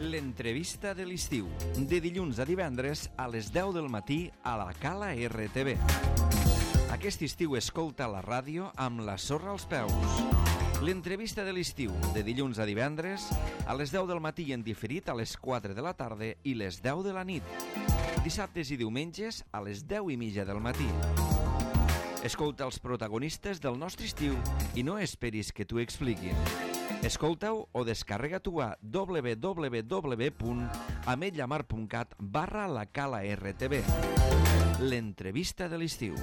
L'entrevista de l'estiu, de dilluns a divendres a les 10 del matí a la Cala RTV. Aquest estiu escolta la ràdio amb la sorra als peus. L'entrevista de l'estiu, de dilluns a divendres a les 10 del matí en diferit a les 4 de la tarda i les 10 de la nit. Dissabtes i diumenges a les 10:30 del matí. Escolta els protagonistes del nostre estiu i no esperis que t'ho expliquin. Escolta-ho o descarrega-t'ho a www.ametlllamar.cat/la Cala RTV. L'entrevista de l'estiu.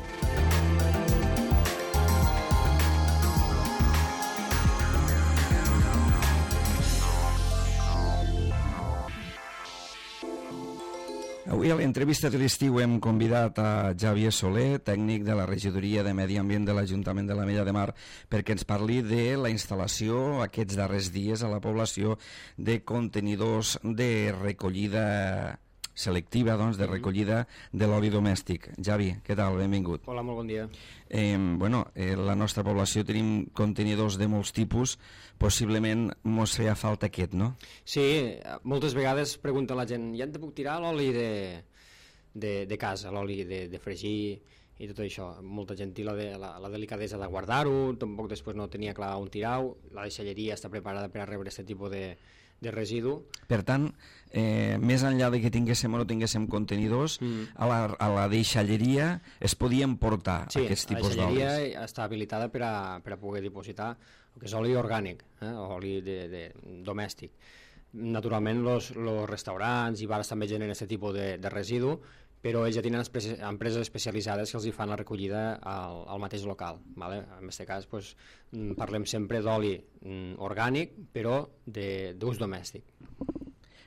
Avui a l'entrevista de l'estiu hem convidat a Xavier Soler, tècnic de la Regidoria de Medi Ambient de l'Ajuntament de l'Ametlla de Mar, perquè ens parli de la instal·lació aquests darrers dies a la població de contenidors de recollida selectiva, doncs, de recollida de l'oli domèstic. Xavi, què tal? Benvingut. Hola, molt bon dia. La nostra població tenim contenidors de molts tipus, possiblement mos feia falta aquest, no? Sí, moltes vegades pregunta la gent, ja en te puc tirar l'oli de casa, l'oli de fregir i tot això. Molta gent té la delicadesa de guardar-ho, tampoc després no tenia clar on tirar-ho, la deixalleria està preparada per a rebre aquest tipus de residu. Per tant, més enllà de que tinguéssim o no tinguéssim contenidors, a la deixalleria es podien portar aquests tipus d'olis. Sí, la deixalleria està habilitada per a poder dipositar el que és oli orgànic, oli domèstic. Naturalment, els restaurants i bars també generen aquest tipus de residu, però ells ja tenen empreses especialitzades que els hi fan la recollida al mateix local. ¿Vale? En aquest cas parlem sempre d'oli orgànic, però d'ús domèstic.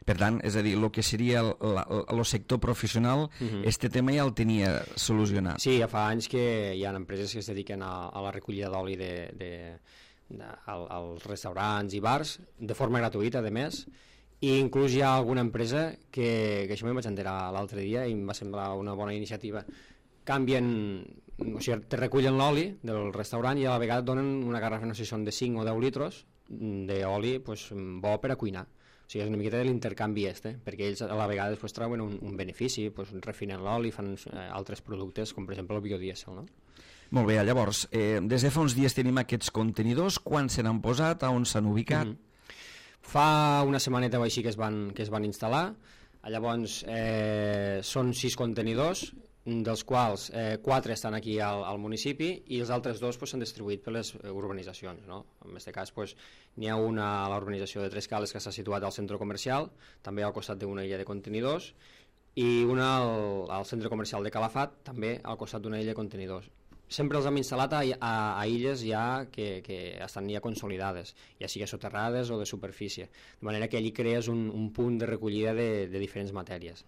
Per tant, és a dir, el que seria el sector professional, este tema ja el tenia solucionat. Sí, ja fa anys que hi ha empreses que es dediquen a la recollida d'oli als restaurants i bars, de forma gratuïta, a més, i inclús hi ha alguna empresa que això me'n vaig enterar l'altre dia i em va semblar una bona iniciativa. O sigui, te recullen l'oli del restaurant i a la vegada et donen una garrafa, no sé si són de 5 o 10 litres d'oli bo per a cuinar. O sigui, és una miqueta de l'intercanvi perquè ells a la vegada després treuen un benefici, refinen l'oli, fan altres productes, com per exemple el biodièsel, no? Molt bé, llavors, des de fa uns dies tenim aquests contenidors, quan se n'han posat, on s'han ubicat? Fa una setmaneta o així que es van instal·lar. Llavors són 6 contenidors, dels quals 4 estan aquí al municipi i els altres 2 s'han distribuït per les urbanitzacions, no? En aquest cas n'hi ha una a l'urbanització de Tres Cales que s'ha situat al centre comercial, també al costat d'una illa de contenidors, i una al centre comercial de Calafat, també al costat d'una illa de contenidors. Sempre els hem instal·lat a illes ja que estan ja consolidades, ja sigui soterrades o de superfície, de manera que allí crees un punt de recollida de diferents matèries.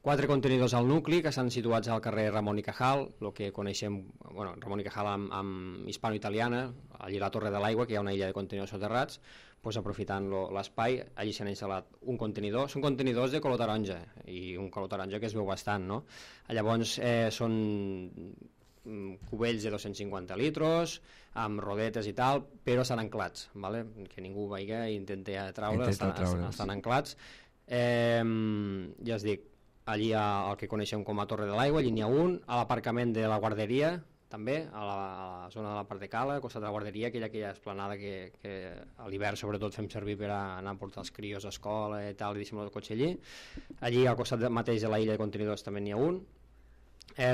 4 contenidors al nucli que estan situats al carrer Ramon i Cajal, el que coneixem, Ramon i Cajal amb hispano-italiana, allí a la Torre de l'Aigua, que hi ha una illa de contenidors soterrats, aprofitant l'espai, allí s'han instal·lat un contenidor, són contenidors de color taronja, i un color taronja que es veu bastant, no? Llavors són cubells de 250 litres amb rodetes i tal, però estan anclats, ¿vale? Que ningú veiga i intenti treure, estan anclats. Ja es dic, allí el que coneixem com a Torre de l'Aigua, allí n'hi ha un, a l'aparcament de la guarderia també, a la zona de la part de Cala, al costat de la guarderia, aquella esplanada que a l'hivern sobretot fem servir per anar a portar els crios a escola i tal, i deixem el cotxe allí al costat mateix de la illa de contenidors també n'hi ha un.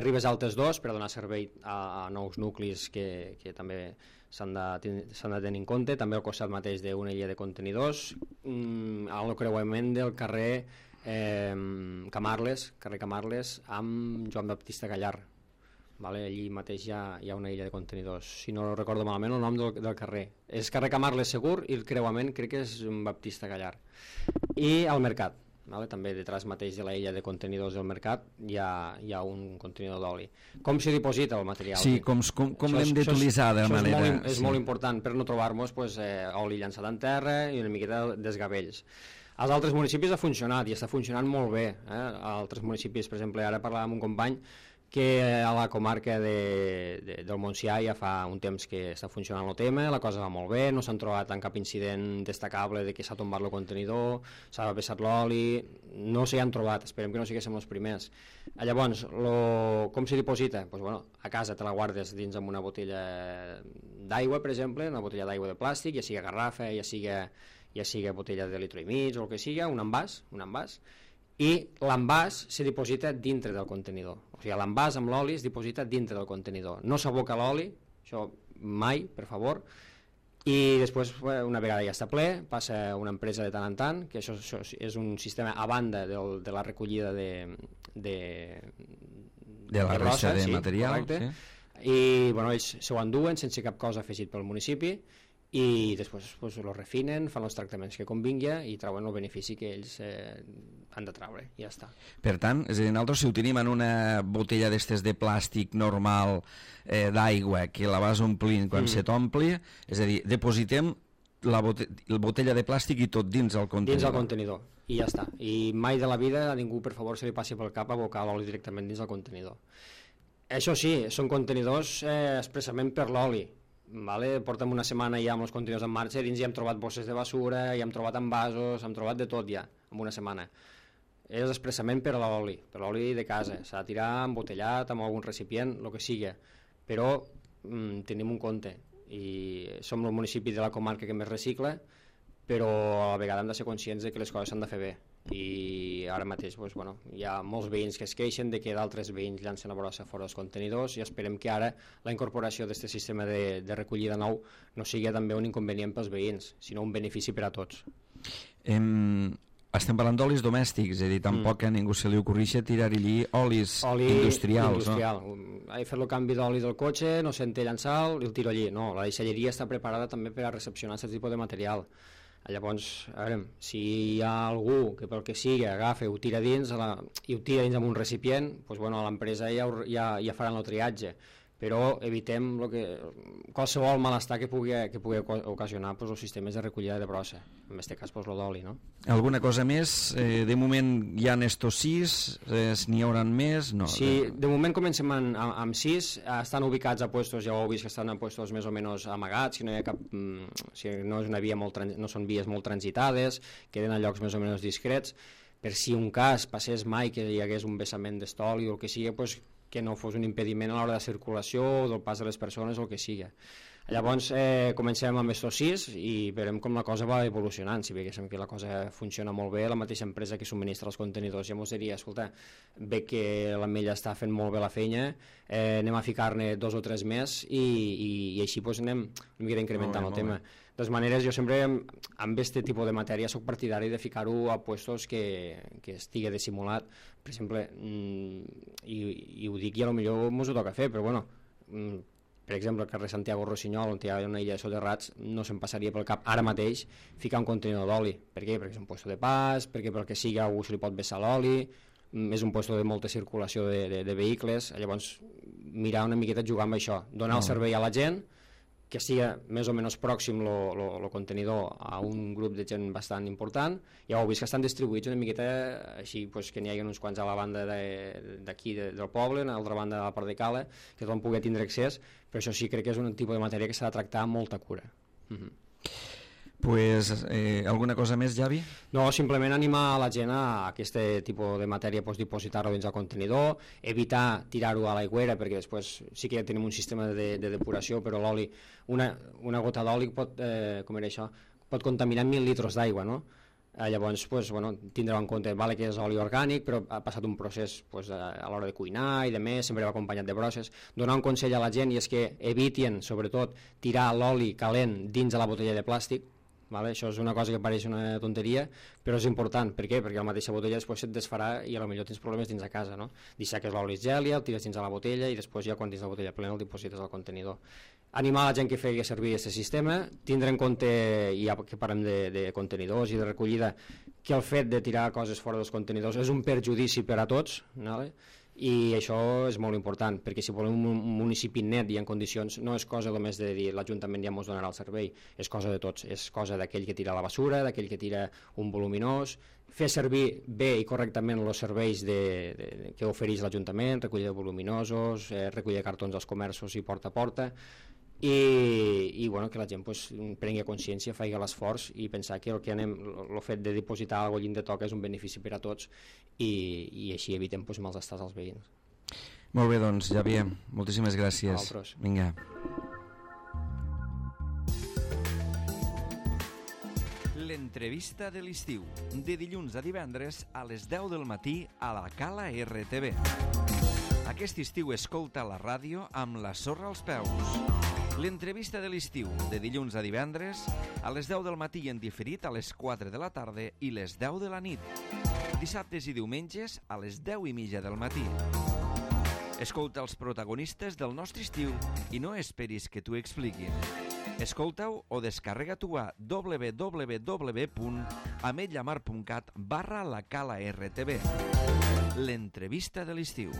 Ribes Altes 2 per donar servei a nous nuclis que també s'han de tenir en compte, també al costat mateix d'una illa de contenidors, al creuament del carrer Camarles amb Joan Baptista Gallar, vale? Allí mateix hi ha una illa de contenidors, si no recordo malament el nom del carrer és carrer Camarles segur i el creuament crec que és Baptista Gallar. I al Mercat, vale? També detrás mateix de la illa de contenidors del Mercat hi ha un contenidor d'oli. Com se diposita el material? Sí, com l'hem d'utilitzar de manera... És molt important per no trobar-nos oli llançat en terra i una miqueta de desgavells. Als altres municipis ha funcionat i està funcionant molt bé. A altres municipis, per exemple, ara parlàvem amb un company que a la comarca del Montsià ja fa un temps que està funcionant el tema, la cosa va molt bé, no s'han trobat en cap incident destacable de que s'ha tombat el contenidor, s'ha vessat l'oli, no s'hi han trobat, esperem que no siguéssim els primers. Llavors, com se diposita? Pues, bueno, a casa te la guardes dins amb una botella d'aigua, per exemple, una botella d'aigua de plàstic, ja sigui garrafa, ja sigui botella de litro i mig o el que sigui, un envàs, i l'envàs se diposita dintre del contenidor. O sigui, l'envàs amb l'oli es diposita dintre del contenidor. No s'aboca l'oli, això mai, per favor, i després, una vegada ja està ple, passa a una empresa de tant en tant, que això és un sistema a banda de la recollida de la resta de material. Sí. I bueno, ells s'ho enduen sense cap cosa afegit pel municipi, i després lo refinen, fan els tractaments que convingui i treuen el benefici que ells han de treure, i ja està. Per tant, és a dir, nosaltres si ho tenim en una botella d'estes de plàstic normal d'aigua que la vas omplint quan se t'ompli, és a dir, depositem la botella de plàstic i tot dins el contenidor. Dins el contenidor, i ja està. I mai de la vida a ningú, per favor, se li passi pel cap abocar l'oli directament dins el contenidor. Això sí, són contenidors expressament per l'oli. Vale? Portem una setmana ja amb els contenidors en marxa, dins ja hem trobat bosses de basura, ja hem trobat envasos, hem trobat de tot ja, en una setmana. És expressament per l'oli de casa, s'ha de tirar embotellat amb algun recipient, el que sigui, però tenim un compte, i som el municipi de la comarca que més recicla, però a la vegada hem de ser conscients de que les coses s'han de fer bé, i ara mateix hi ha molts veïns que es queixen de que d'altres veïns llancen la brossa fora dels contenidors, i esperem que ara la incorporació d'aquest sistema de recollida nou no sigui també un inconvenient pels veïns, sinó un benefici per a tots. Estem parlant d'olis domèstics, és a dir, tampoc a ningú se li ocorrixa tirar-hi olis industrials. He fet el canvi d'oli del cotxe, no sé en té llançar, el tiro allí. No, la deixalleria està preparada també per a recepcionar aquest tipus de material. Llavors, a veure, si hi ha algú que pel que sigui agafa i ho tira dins amb un recipient, doncs, l'empresa ja faran el triatge, però evitem qualsevol malestar que pugui ocasionar els sistemes de recollida de brossa, en aquest cas el d'oli. No? Alguna cosa més? De moment hi ha estos 6, n'hi haurà més? No. Sí, de moment comencem amb 6, estan ubicats a puestos, ja ho heu vist que estan a puestos més o menys amagats, no hi ha cap, no és una via no són vies molt transitades, queden a llocs més o menys discrets, per si un cas passés mai que hi hagués un vessament d'estoli o el que sigui, que no fos un impediment a l'hora de circulació o del pas de les persones o el que sigui. Llavors comencem amb estos 6 i veurem com la cosa va evolucionant. Si veiem que la cosa funciona molt bé, la mateixa empresa que subministra els contenidors ja ens diria, escolta, ve que l'Ametlla està fent molt bé la feina, anem a ficar-ne 2 o 3 més i així anem una mica incrementant el tema. De totes maneres, jo sempre amb aquest tipus de matèria soc partidari de ficar-ho a puestos que estigui dissimulat, per exemple, i ho dic i potser mos ho toca fer, però per exemple, al carrer Santiago Rossinyol, on hi ha una illa de soterrats, no se'm passaria pel cap ara mateix ficar un contenidor d'oli. Per què? Perquè és un puesto de pas, perquè pel que sigui algú se li pot vessar l'oli, és un puesto de molta circulació de vehicles, llavors mirar una miqueta jugar amb això, donar el servei a la gent, que sigui més o menys pròxim el contenidor a un grup de gent bastant important. Ja heu vist que estan distribuïts una miqueta així, que n'hi hagi uns quants a la banda d'aquí del poble, a l'altra banda de la part de Cala, que tothom pugui tindre accés, però això sí crec que és un tipus de matèria que s'ha de tractar amb molta cura. Alguna cosa més, Javi? No, simplement animar la gent a aquest tipus de matèria, dipositar-ho dins el contenidor, evitar tirar-ho a l'aigüera, perquè després sí que ja tenim un sistema de depuració, però l'oli, una gota d'oli pot contaminar 1.000 litres d'aigua, no? Llavors, tindreu en compte que és oli orgànic, però ha passat un procés a l'hora de cuinar i de més, sempre va acompanyat de brosses. Donar un consell a la gent i és que eviten, sobretot, tirar l'oli calent dins de la botella de plàstic. Això és una cosa que pareix una tonteria, però és important. Per què? Perquè la mateixa botella després se't desfarà i potser tens problemes dins de casa, no? Deixar que l'oli es geli, el tires dins de la botella i després ja quan tens la botella plena el diposites al contenidor. Animar la gent que faci servir aquest sistema, tindre en compte, ja que parlem de contenidors i de recollida, que el fet de tirar coses fora dels contenidors és un perjudici per a tots, i això és molt important, perquè si volem un municipi net i en condicions, no és cosa només de dir l'Ajuntament ja ens donarà el servei, és cosa de tots, és cosa d'aquell que tira la basura, d'aquell que tira un voluminós, fer servir bé i correctament els serveis que ofereix l'Ajuntament, recollida de voluminosos, recollida de cartons als comerços i porta a porta, i bueno, que la gent pues, prengui consciència, faci l'esforç i pensar que el fet de dipositar alguna cosa de toca és un benefici per a tots i així evitem pues, mals estats als veïns. Molt bé, doncs, Javier, moltíssimes gràcies. Vinga. L'entrevista de l'estiu, de dilluns a divendres a les 10 del matí a la Cala RTV. Aquest estiu escolta la ràdio amb la sorra als peus. L'entrevista de l'estiu, de dilluns a divendres, a les 10 del matí en diferit a les 4 de la tarda i les 10 de la nit. Dissabtes i diumenges a les 10:30 del matí. Escolta els protagonistes del nostre estiu i no esperis que t'ho expliquin. Escolta-ho o descarrega-t'ho a www.ametlllamar.cat/la Cala RTV. L'entrevista de l'estiu.